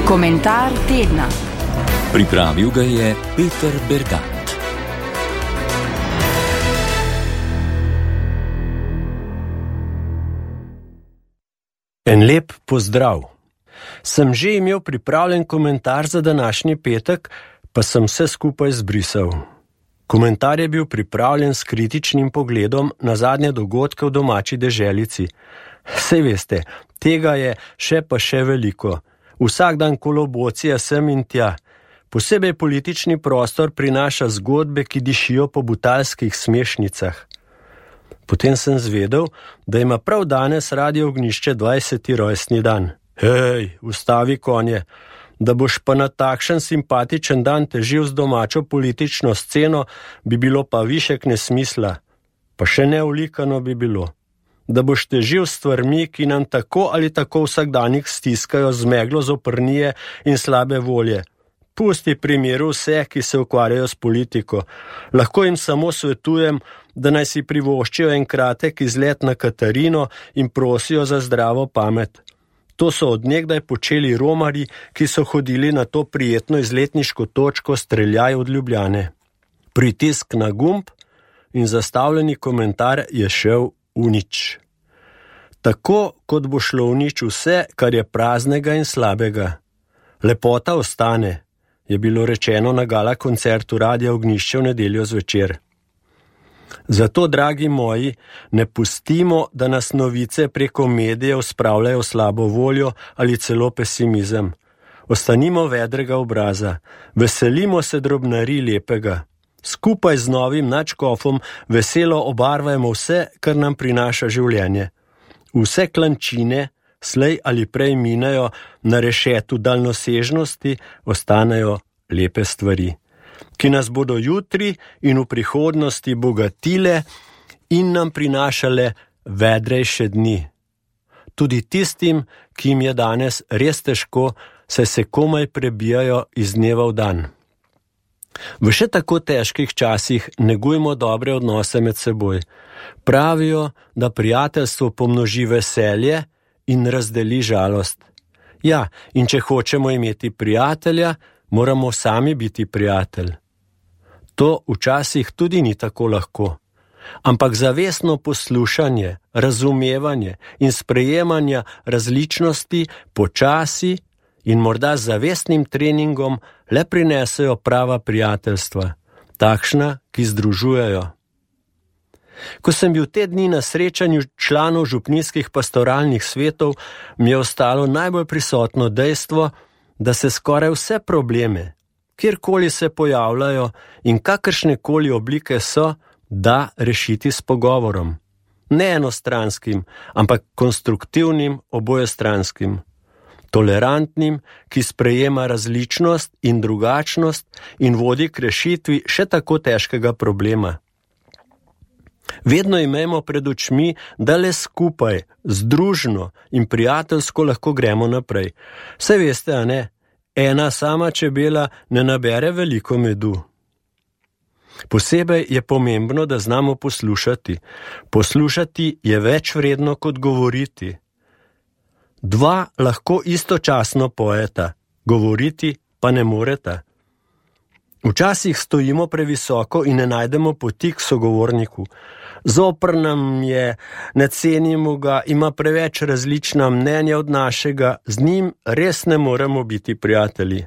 Komentar tedna. Pripravil ga je Peter Bergant. En lep pozdrav. Sem že imel pripravljen komentar za današnji petek, pa sem vse skupaj zbrisal. Komentar je bil pripravljen s kritičnim pogledom na zadnje dogodke v domači deželici. Sej veste, tega je še veliko. Vsak dan kolobocija sem in tja. Posebej politični prostor prinaša zgodbe, ki dišijo po butalskih smešnicah. Potem sem zvedel, da ima prav danes Radio Ognjišče 20. rojstni dan. Hej, ustavi konje, da boš pa na takšen simpatičen dan težil z domačo politično sceno, bi bilo pa višek nesmisla. Pa še neulikano bi bilo. Da boš težil s stvarmi, ki nam tako ali tako vsakdanjih stiskajo z meglo zoprnije in slabe volje. Pusti primeru vse, ki se ukvarjajo s politiko. Lahko jim samo svetujem, da naj si privoščijo en kratek izlet na Katarino in prosijo za zdravo pamet. To so od nekdaj počeli romarji, ki so hodili na to prijetno izletniško točko Streljaj od Ljubljane. Pritisk na gumb in zastavljeni komentar je šel v nič. Tako, kot bo šlo v nič vse, kar je praznega in slabega. Lepota ostane, je bilo rečeno na gala koncertu Radia Ognjišče v nedeljo zvečer. Zato, dragi moji, ne pustimo, da nas novice preko medijev spravljajo slabo voljo ali celo pesimizem. Ostanimo vedrega obraza, veselimo se drobnarij lepega. Skupaj z novim nadškofom veselo obarvajmo vse, kar nam prinaša življenje. Vse klančine, slej ali prej minejo na rešetu daljnosežnosti, ostanejo lepe stvari, ki nas bodo jutri in v prihodnosti bogatile in nam prinašale vedrejše dni. Tudi tistim, ki jim je danes res težko, saj se komaj prebijajo iz dneva v dan. V še tako težkih časih negujmo dobre odnose med seboj. Pravijo, da prijateljstvo pomnoži veselje in razdeli žalost. Ja, in če hočemo imeti prijatelja, moramo sami biti prijatelj. To včasih tudi ni tako lahko. Ampak zavestno poslušanje, razumevanje in sprejemanje različnosti počasi in morda z zavestnim treningom le prinesejo prava prijateljstva, takšna, ki združujejo. Ko sem bil te dni na srečanju članov župnijskih pastoralnih svetov, mi je ostalo najbolj prisotno dejstvo, da se skoraj vse probleme, kjerkoli se pojavljajo in kakršnekoli oblike so, da rešiti s pogovorom. Ne enostranskim, ampak konstruktivnim, obojestranskim. Tolerantnim, ki sprejema različnost in drugačnost in vodi k rešitvi še tako težkega problema. Vedno imejmo pred očmi, da le skupaj, združno in prijateljsko lahko gremo naprej. Saj veste, a ne? Ena sama čebela ne nabere veliko medu. Posebej je pomembno, da znamo poslušati. Poslušati je več vredno kot govoriti. Dva lahko istočasno pojeta, govoriti pa ne moreta. Včasih stojimo previsoko in ne najdemo poti k sogovorniku. Zopr nam je, ne cenimo ga, ima preveč različna mnenja od našega, z njim res ne moremo biti prijatelji.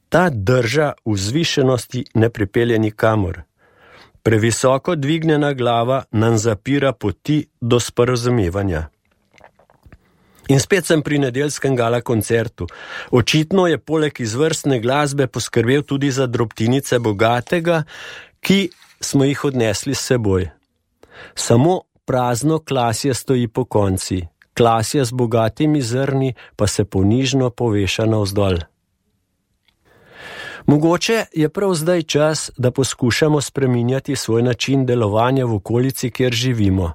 Ta drža vzvišenosti ne pripelje nikamor. Previsoko dvignjena glava nam zapira poti do sporazumevanja. In spet sem pri nedeljskem gala koncertu. Očitno je poleg izvrstne glasbe poskrbel tudi za drobtinice bogatega, ki smo jih odnesli s seboj. Samo prazno klasje stoji po konci, klasje z bogatimi zrni pa se ponižno poveša navzdol. Mogoče je prav zdaj čas, da poskušamo spreminjati svoj način delovanja v okolici, kjer živimo.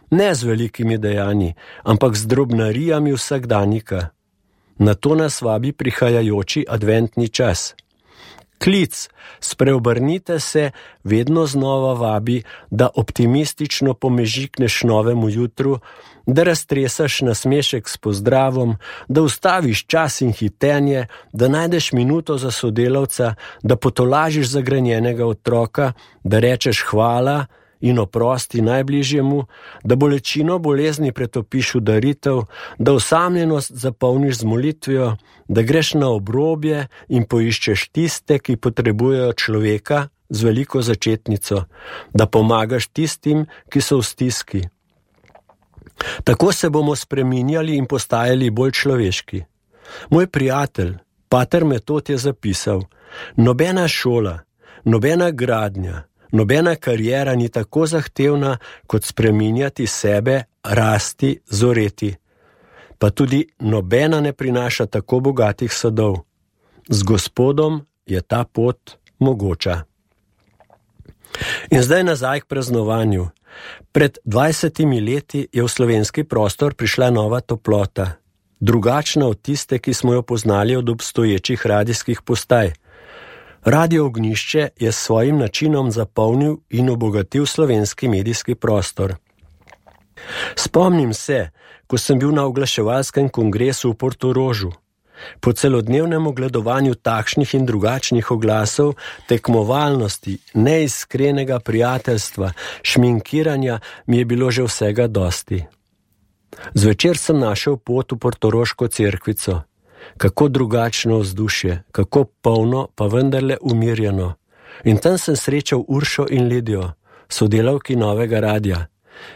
Ne z velikimi dejanji, ampak z drobnarijami vsakdanjika. Na to nas vabi prihajajoči adventni čas. Klic, spreobrnite se, vedno znova vabi, da optimistično pomežikneš novemu jutru, da raztresaš nasmešek s pozdravom, da ustaviš čas in hitenje, da najdeš minuto za sodelavca, da potolažiš zagrenjenega otroka, da rečeš hvala in oprosti najbližjemu, da bolečino bolezni pretopiš v daritev, da osamljenost zapolniš z molitvijo, da greš na obrobje in poiščeš tiste, ki potrebujejo človeka z veliko začetnico, da pomagaš tistim, ki so v stiski. Tako se bomo spreminjali in postajali bolj človeški. Moj prijatelj, pater Metod, je zapisal: nobena šola, nobena gradnja, nobena kariera ni tako zahtevna, kot spreminjati sebe, rasti, zoreti. Pa tudi nobena ne prinaša tako bogatih sadov. Z Gospodom je ta pot mogoča. In zdaj nazaj k praznovanju. Pred 20 leti je v slovenski prostor prišla nova toplota, drugačna od tiste, ki smo jo poznali od obstoječih radijskih postaj. Radio Ognjišče je s svojim načinom zapolnil in obogatil slovenski medijski prostor. Spomnim se, ko sem bil na oglaševalskem kongresu v Portorožu. Po celodnevnem ogledovanju takšnih in drugačnih oglasov, tekmovalnosti, neiskrenega prijateljstva, šminkiranja mi je bilo že vsega dosti. Zvečer sem našel pot v portoroško cerkvico. Kako drugačno vzdušje, kako polno, pa vendarle umirjeno. In tam sem srečal Uršo in Lidijo, sodelavki novega radia.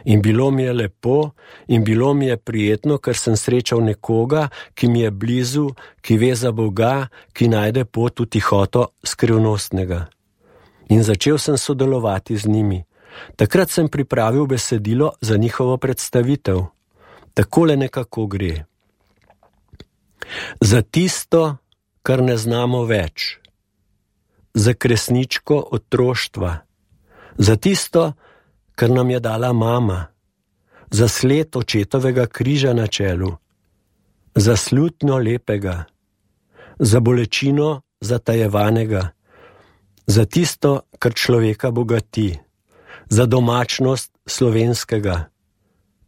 In bilo mi je lepo in bilo mi je prijetno, ker sem srečal nekoga, ki mi je blizu, ki ve za Boga, ki najde pot v tihoto skrivnostnega. In začel sem sodelovati z njimi. Takrat sem pripravil besedilo za njihovo predstavitev. Takole nekako gre. Za tisto, kar ne znamo več. Za kresničko otroštva. Za tisto, kar nam je dala mama, za sled očetovega križa na čelu, za slutnjo lepega, za bolečino zatajevanega, za tisto, kar človeka bogati, za domačnost slovenskega,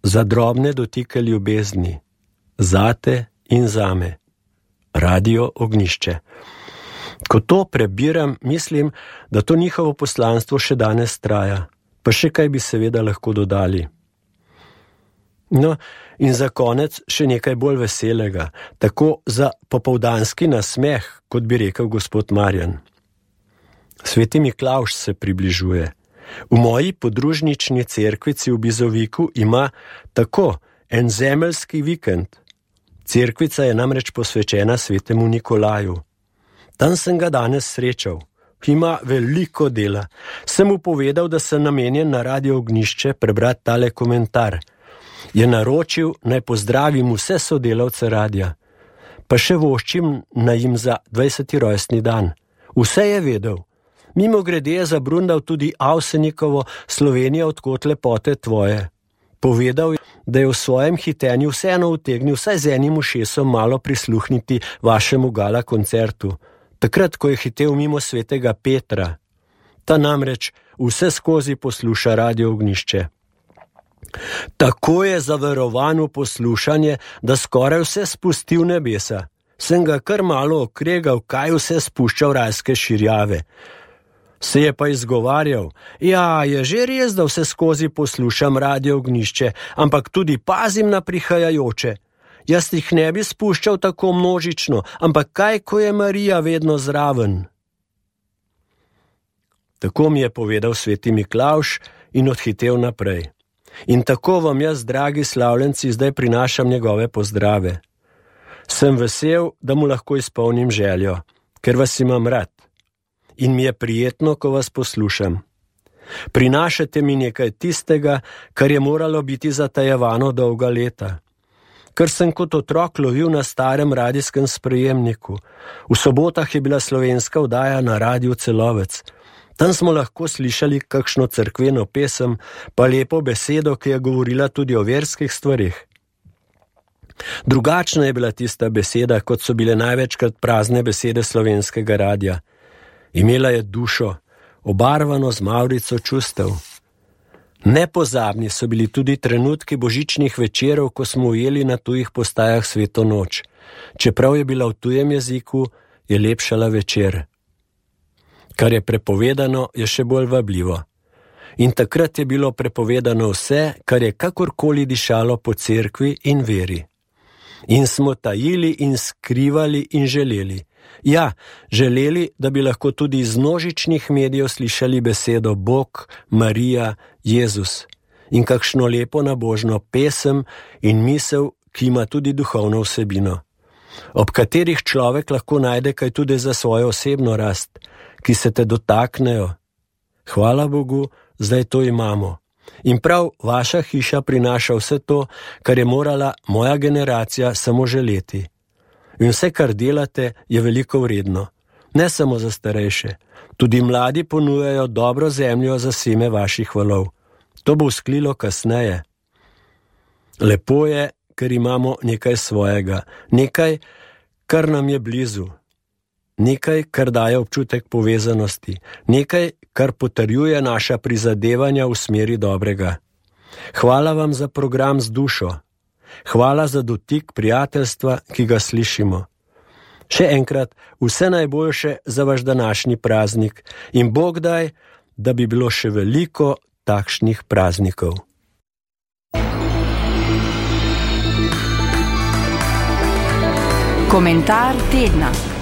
za drobne dotike ljubezni, zate in zame. Radio Ognjišče. Ko to prebiram, mislim, da to njihovo poslanstvo še danes traja. Pa še kaj bi seveda lahko dodali. No, in za konec še nekaj bolj veselega, tako za popoldanski nasmeh, kot bi rekel gospod Marjan. Sveti Miklavž se približuje. V moji podružnični cerkvici v Bizoviku ima tako en zemeljski vikend. Cerkvica je namreč posvečena svetemu Nikolaju. Tam sem ga danes srečal. Ima veliko dela. Sem mu povedal, da sem namenjen na Radio Ognjišče prebrati tale komentar. Je naročil, naj pozdravim vse sodelavce radia. Pa še voščim naj jim za 20. rojstni dan. Vse je vedel. Mimogrede je zabrundal tudi Avsenikovo Slovenija odkot lepote tvoje. Povedal je, da je v svojem hitenju vseeno utegnil vsaj z enim ušesom malo prisluhniti vašemu gala koncertu. Takrat, ko je hitel mimo svetega Petra. Ta namreč vse skozi posluša Radio Ognjišče. Tako je zaverovan v poslušanje, da skoraj vse spusti v nebesa. Sem ga kar malo okregal, kaj vse spušča v rajske širjave. Se je pa izgovarjal, ja, je že res, da vse skozi poslušam Radio Ognjišče, ampak tudi pazim na prihajajoče. Jaz jih ne bi spuščal tako množično, ampak kaj, ko je Marija vedno zraven? Tako mi je povedal sveti Miklavž in odhitel naprej. In tako vam jaz, dragi slavljenci, zdaj prinašam njegove pozdrave. Sem vesel, da mu lahko izpolnim željo, ker vas imam rad. In mi je prijetno, ko vas poslušam. Prinašate mi nekaj tistega, kar je moralo biti zatajevano dolga leta. Ker sem kot otrok lovil na starem radijskem sprejemniku. V sobotah je bila slovenska oddaja na Radiu Celovec. Tam smo lahko slišali kakšno cerkveno pesem, pa lepo besedo, ki je govorila tudi o verskih stvarih. Drugačna je bila tista beseda, kot so bile največkrat prazne besede slovenskega radia. Imela je dušo, obarvano z mavrico čustev. Nepozabni so bili tudi trenutki božičnih večerov, ko smo ujeli na tujih postajah Sveto noč. Čeprav je bila v tujem jeziku, je lepšala večer. Kar je prepovedano, je še bolj vabljivo. In takrat je bilo prepovedano vse, kar je kakorkoli dišalo po cerkvi in veri. In smo tajili in skrivali in želeli. Ja, želeli, da bi lahko tudi iz množičnih medijev slišali besedo Bog, Marija, Jezus in kakšno lepo nabožno pesem in misel, ki ima tudi duhovno vsebino, ob katerih človek lahko najde kaj tudi za svojo osebno rast, ki se te dotaknejo. Hvala Bogu, zdaj to imamo. In prav vaša hiša prinaša vse to, kar je morala moja generacija samo želeti. In vse, kar delate, je veliko vredno. Ne samo za starejše. Tudi mladi ponujajo dobro zemljo za seme vaših valov. To bo vzklilo kasneje. Lepo je, ker imamo nekaj svojega. Nekaj, kar nam je blizu. Nekaj, kar daje občutek povezanosti. Nekaj, kar potrjuje naša prizadevanja v smeri dobrega. Hvala vam za program z dušo. Hvala za dotik prijateljstva, ki ga slišimo. Še enkrat, vse najboljše za vaš današnji praznik in Bog daj, da bi bilo še veliko takšnih praznikov. Komentar tedna.